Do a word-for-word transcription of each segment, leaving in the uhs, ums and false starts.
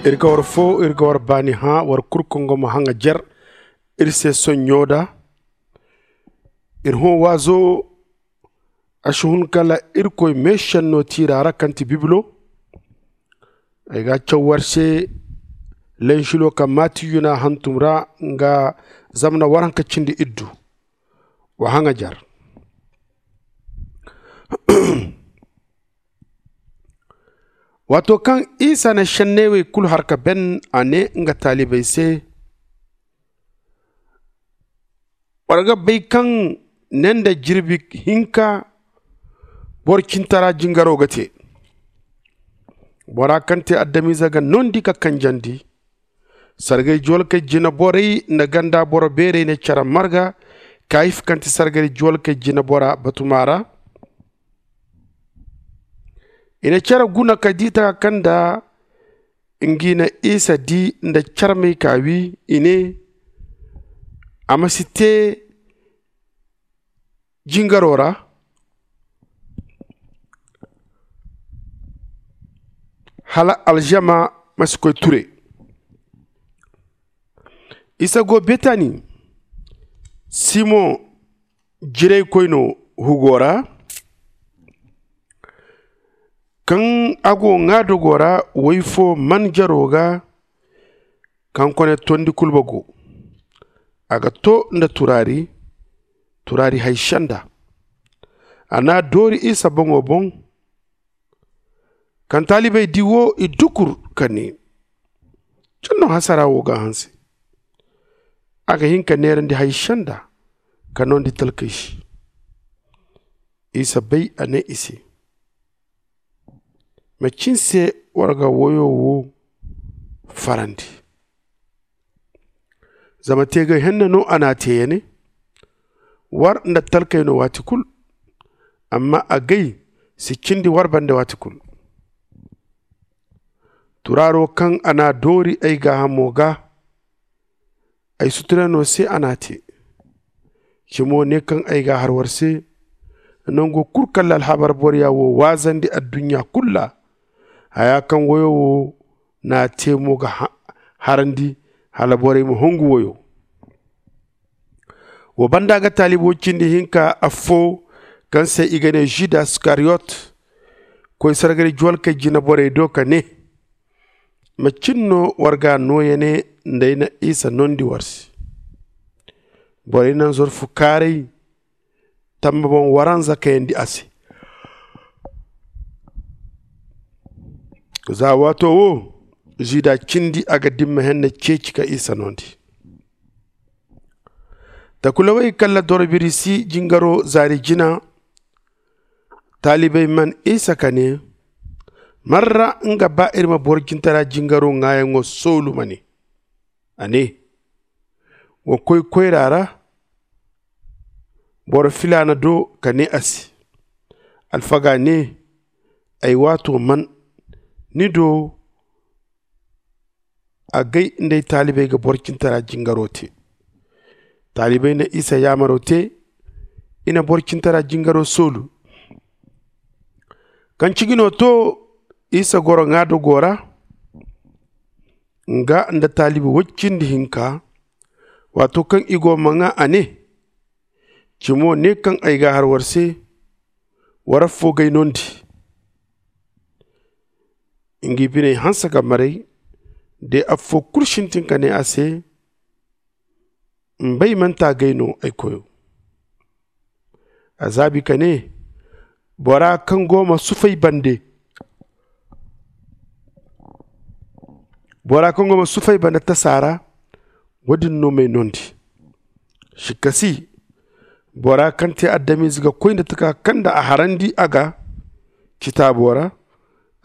Iri ga war foo, iri ga war baani hã, war kul kaŋ go ma haŋa jer iri se soɲɲo da. Iri hõ waazo, a si hun kala irkoy meešenno tiira ra kaŋ ti bibilo. Ay ga a caw war se, lenšilo kaŋ maati yuna hantum ra, nga zamana waranka cindi iddu. Wa haŋa jer. Waato kaŋ isa na šenney wey kul har ka ben, a nee nga taalibey se, war ga bay kaŋ ne nda jirbi hinka boro cintara jingaro ga tee. Bora kaŋ tee adamize ga noondi ka kanjandi. Sargay juwalkey jineborey nda ganda boro beerey na cere marga kayif kaŋ ti sargay juwalkey jinebora batuma ra. I na cere guna ka di taka kaŋ nda ngi na isa di nda carmey ka wi, i ne, a ma si tee jingaro ra, hala alžama ma si koy ture. Isa go betani, simoŋ jiraykoy no hugo ra. Kaŋ a go ŋaadogo ra, woy fo man jaro ga kaŋ kone tondi kulba go. A ga to nda turaari, turaari hay senda. A n'a doori isa boŋo boŋ. Kaŋ taalibey di wo, i dukur ka ne, cin no hasara wo ga a hanse. A ga hin ka neerandi hay senda ka noondi talkey se. Isa bay, a ne i se, macin se war ga woyo wo farandi? Zama teegay henne no a n'a tee ya ne, war nda talkey no waati kul, amma agay si cindi war bande waati kul. Turaaro kaŋ a n'a doori ay gaahamo ga, ay suturano se a n'a tee. Cimo ne kaŋ ay ga a har war se, nango kul kala alhabar boroya wo waazandi adduɲɲa kul ra. Haya kaŋ woyo wo n'a tee mo ga harandi, hala borey ma hongu woyo. Wo banda ga taalibo cindi hinka affo, kaŋ se i ga ne žuda iskariyot, koy sargari juwalkey jineborey do ka ne, macin no war ga a nooya ne nda ay na isa noondi war se? Borey na nzorfu kaaray tamba boŋ waranza kayandi a se. Za waato wo, žuda cindi a ga dimma henne ceeci ka isa noondi. Takulawey kala doro birisi jingaro zaari jina. Taalibey man isa ka ne, man ra nga ba iri ma boro cintara jingaro ŋaayaŋo soolu ma ne? A ne, wa koy koyra ra boro filaana do ka ne a se, alfaga ne, ay waato man ni do? Agay nda ay taalibey ga boro cintara jingaro te. Taalibey na isa yaamaro te, i na boro cintara jingaro soolu. Kaŋ ciji no to, isa goro ŋaadogo ra, nga nda taalibi woy cindi hinka. Waato kaŋ i go ma ŋaa, a ne, cimo ne kaŋ ay ga a har war se, war affo g'ay noondi. Ngi biney hanse ka maray, de affo kul sintin ka ne a se, mbay manti agay no ay koyo? A zaabi ka ne, bora kaŋ go ma sufay bande bora kaŋ go ma sufay bande tasa ra, wo- din no m'ay noondi. Sikkasi, bora kaŋ te adamize ga koy nda taka kaŋ nda a harandi a ga citaabo ra.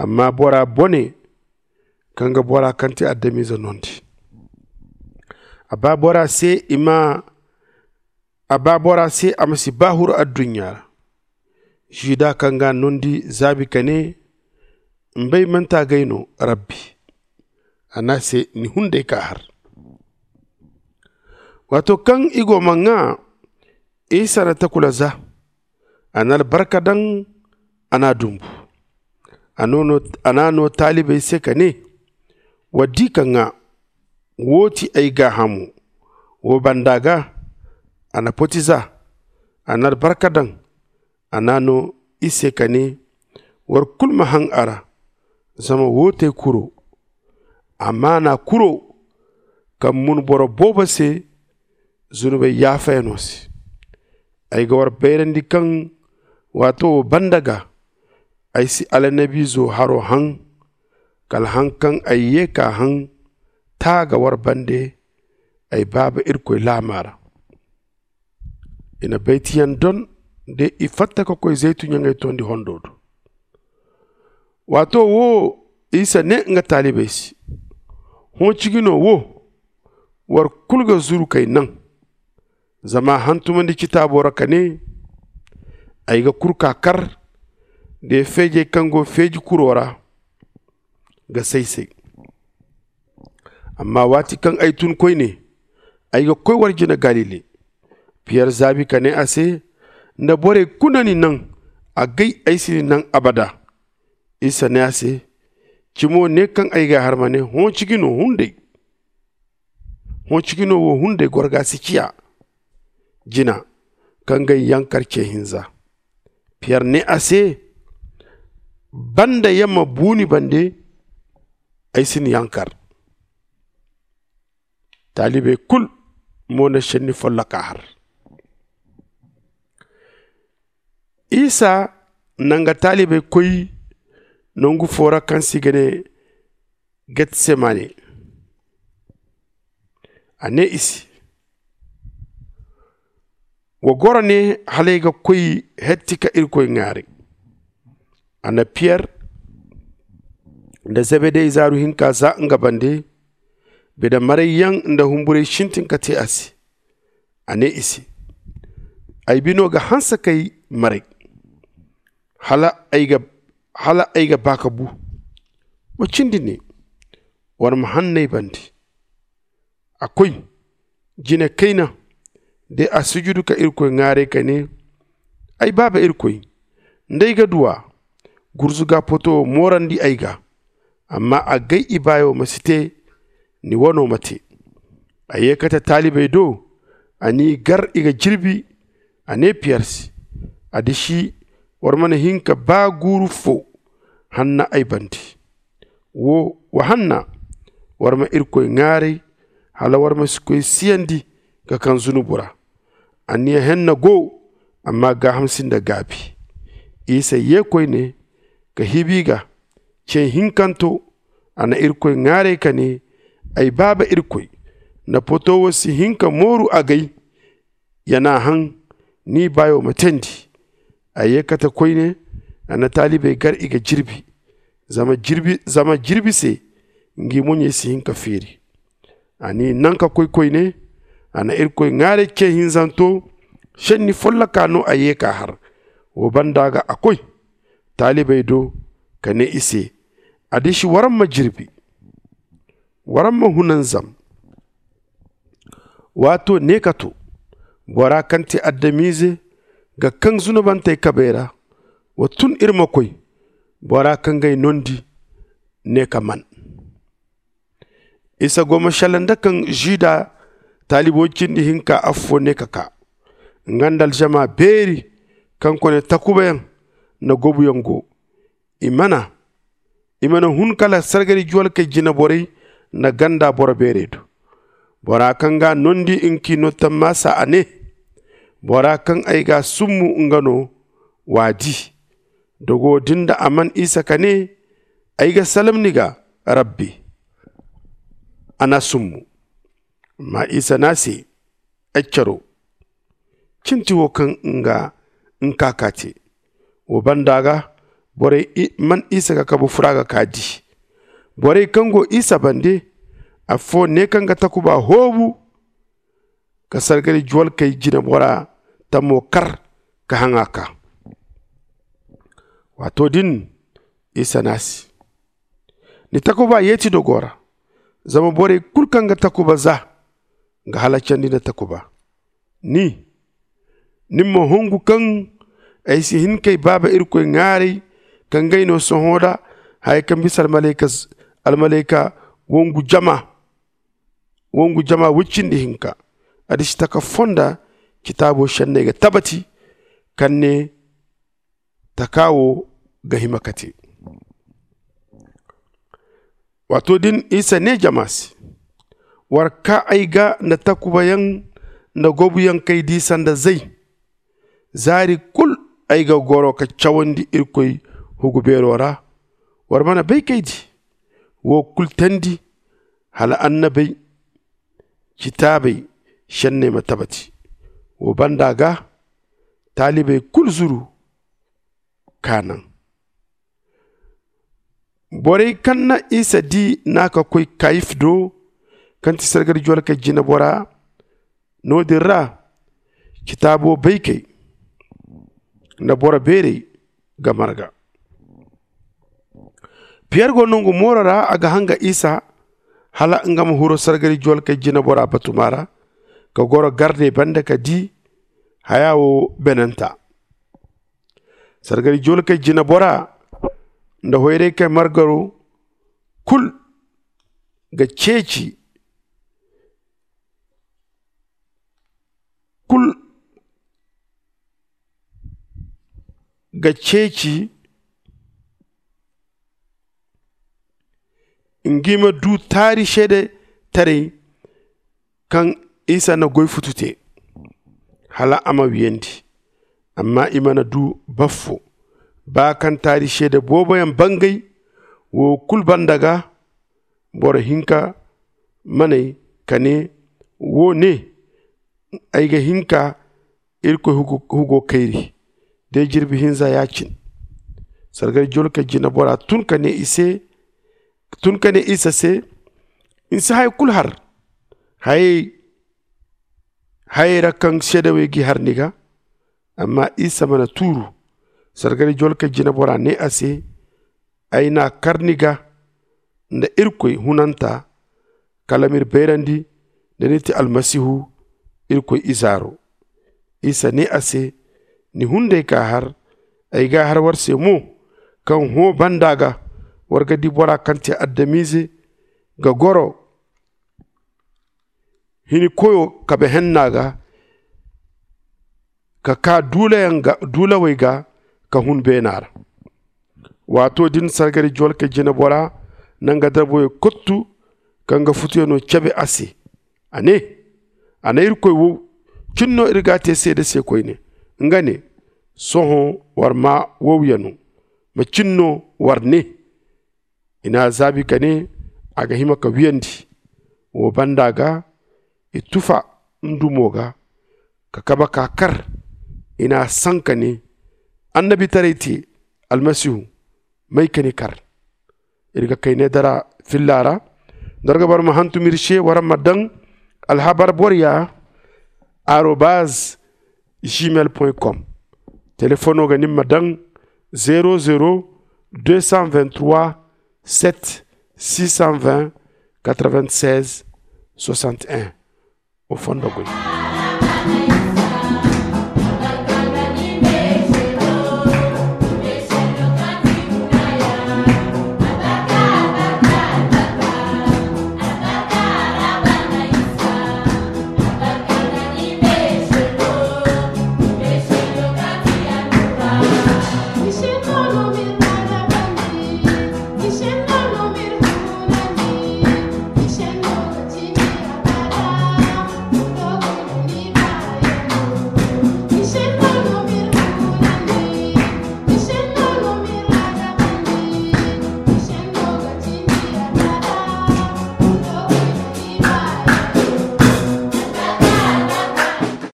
Amma bora bone kaŋ ga bora kaŋ te adamize noondi, a ba bora se i ma a ba bora se a ma si ba huru adduɲɲa ra. Žuda kaŋ ga a noondi zaabi ka ne, mbay manti agay no, rabbi? A ne a se, ni hunday ka har. Waato kaŋ i go ma ŋaa, isa na takula za, a na albarka daŋ, a n'a dumbu. A n'a no taalibey se ka ne, Wa di ka ŋaa. Woo ti ay gaahamo. Woo banda ga a na poti za. A na albarka daŋ. A na a noo i se ka nee, war kul ma haŋ a ra. Zama woo ti ay kuro. Amaana kuro kaŋ mun boro boobo se zunubey yaafayanoo se. Ay ga war bayrandi kaŋ waato woo banda ga ay si alanabiizo haroo haŋ. Kala haŋ kaŋ ay yee k'a haŋ taa ga war bande ay baaba irkoy laamaa ra. I na baytiyaŋ don de i fatta ka koy zaytu ɲaŋey tondi hondo do. Waato woo isa nee nga taalibey se, hõ ciji no woo? War kul ga zuru k'ay naŋ. Zama a hantumandi citaabo ra ka nee, ay ga kurkaa kar de feejey kaŋ go feeji kuroo ra ga say-say. Amma waati kaŋ ay tun koyne, ay ga koy war jine galile. Piyer zaabi ka nee a se, nda borey kulu na ni naŋ, agay ay si ni naŋ abada. Isa nee a se, cimo ne kaŋ ay g'a har ma ne, hõ ciji no hunday. Hõ ciji no woo hunday goro ga si ciya jina kaŋ ga ay yankar ce hinza. Piyer nee a se, banda ya ma buu ni bande, ay si ni yankar. Taalibey kul mo na šenni folloka har. Isa na nga taalibey koy nangu foo ra kaŋ se i ga nee getsemane. A nee i se, wa goro ne hala ay ga koy hetti ka irkoy ŋaaray. A na piyer nda zebede izaaru hinka za nga bande. Bine marayyaŋ nda humburay sintin ka te a se. A nee i se, ay bino ga hanse k'ay maray hala ay ga baa ka buu. Wa cindi ne, war ma hanno ay bande. A koy jine kayna de a sujudu ka irkoy ŋaaray ka nee, ay baaba irkoy, nda ay ga duw'a, gurzuga poto moorandi ay ga. Amma agay ibaayoo ma si te, ni wanoo ma te. A yee kate taalibey do, a n'i gar i ga jirbi. A nee piyer se, addiši war mana hin ka baa guuru foo hanna ay bande. Woo wa hanna, war ma irkoy ŋaaray hala war ma si koy siyandi ka kaŋ zunubu ra. Anniya henna go, amma gaaham sinda gaabi. Isa yee koyne ka hibi ga. Cee hinkanto a na irkoy ŋaaray ka nee, ay baaba irkoy, nda poto wo si hin ka mooru agay. Ya n'a haŋ, ni baayo ma teendi. A yee kate koyne. A na taalibey gar i ga jirbi, zama jirbi se ngi moɲey si hin ka feeri. A n'i naŋ ka koy koyne. A na irkoy ŋaaray cee hinzanto. Šenni folloka no a yee k'a har. Woo banda ga a koy taalibey do ka nee i se, addiši war ma jirbi, war ma hunanzam. Waato ne ka to, bora kaŋ ti adamize ga kaŋ zunubantey kabey ra. Wa tun iri ma koy bora kaŋ g'ay noondi. Ne ka man isa go ma šalla nda kaŋ žuda taalibo cindi hinka affoo ne ka kaa, nga nda aljama beeri kaŋ kone takubayaŋ nda gobuyaŋ go. I mana i mana hun kala sargari juwalkey jineborey nda ganda boro beerey do. Bora kaŋ g'a noondi nki no tammaasa a ne, bora kaŋ ay g'a summu nga no. W'a di. Dogo din da a man isa ka ne, ay ga salam ni ga, rabbi. A n'a summu. Amma isa n'a se, ay caro, cinti wo kaŋ nga nka ka te. Wo banda ga borey man isa ga kabu fura ga ka di. Borey kaŋ go isa bande, affoo ne kaŋ ga takuba hoobu ka sargari juwalkey jinebora tamo kar ka haŋ a ka. Waato din isa n'a se, ni takuba yeeti dogo ra. Zama borey kulu kaŋ ga takuba za ga halacandi nda takuba. Ni, ni ma hongu kaŋ ay si hin k'ay baaba irkoy ŋaaray, kaŋ g'ay no sohõ da haya kaŋ bisa almalayka wongu jama woy cindi hinka. Addiši taka fonda citaabo šenney ga tabati kaŋ ne taka wo ga hima ka te. Waato din isa ne jama se, war kaa ay ga nda takubayaŋ nda gobuyaŋ kay di sanda zay. Zaari kul ay ga goro ka cawandi irkoy hugu beero ra. War mana bay kay di wo kul teendi hala annabey citaabey šenney ma tabati. Wo banda ga taalibey kul zuru ka naŋ. Borey kaŋ na isa di na ka koy kayif do, kaŋ ti sargari jolkey jineboraa. No- din ra citaabo baykey nda boro beerey ga marga. Piyer go nongu mooro ra a ga hanga isa hala nga ma huru sargari jolkey jineboraa batuma ra, ka goro gardey banda ka di haya wo benanta. Sargari jolkey jineboraa nda hoyraykey margaro kul ga ceeci kul ga ceeci ngi ma du taari seedetaray kaŋ isa na goy futu te hala a ma wiyandi. Amma i mana du baffo ba kaŋ taari seede booboyaŋ bangay. Wo kul banda ga boro hinka manay ka ne, wo ne ay ga hin ka irkoy hugo kayri. De jirbi hinza ya- cin sargari jolkey jineboraa tun ka ne isa se, ni si haya kul har hayey ra kaŋ seedawey g'i har ni ga. Amma isa mana tuuru. Sargari jolkey jineboraa ne a se, ay n'a kar ni ga nda irkoy hunanta kala m'iri bayrandi da ni ti almasihu, irkoy izaaro. Isa ne a se, ni hunday ka har ay ga har war se mo, kaŋ hõ banda ga war ga di bora kaŋ te adamize ga goro hini koyo kabe henna ga ka ka duulawey ga ka hun beena ra. Waato din sargari jolkey jineboraa na nga darboyo kottu ka nga futuyanoo cebe a se. A ne, a na irkoy wow cin no iri g'a te seede se koyne. Nga ne, sohõ war maa wowyanoo ma cin no war ne. I n'a zaabi ka ne, a ga hima ka wiyandi. Wo banda ga i tufa ndumo ga ka kabe k'a kar. I n'a saŋ ka ne, annabitaray te almasihu, may ka ni kar? Iri ga kayne dara filla ra. Nda war ga bar ma hantum iri se war ma daŋ alhabar borya arobaz gmail point com. Telefono ga ni ma daŋ zero zero deux cent vingt trois sept six cent vingt quatre vingt seize soixante un. O fondo goy.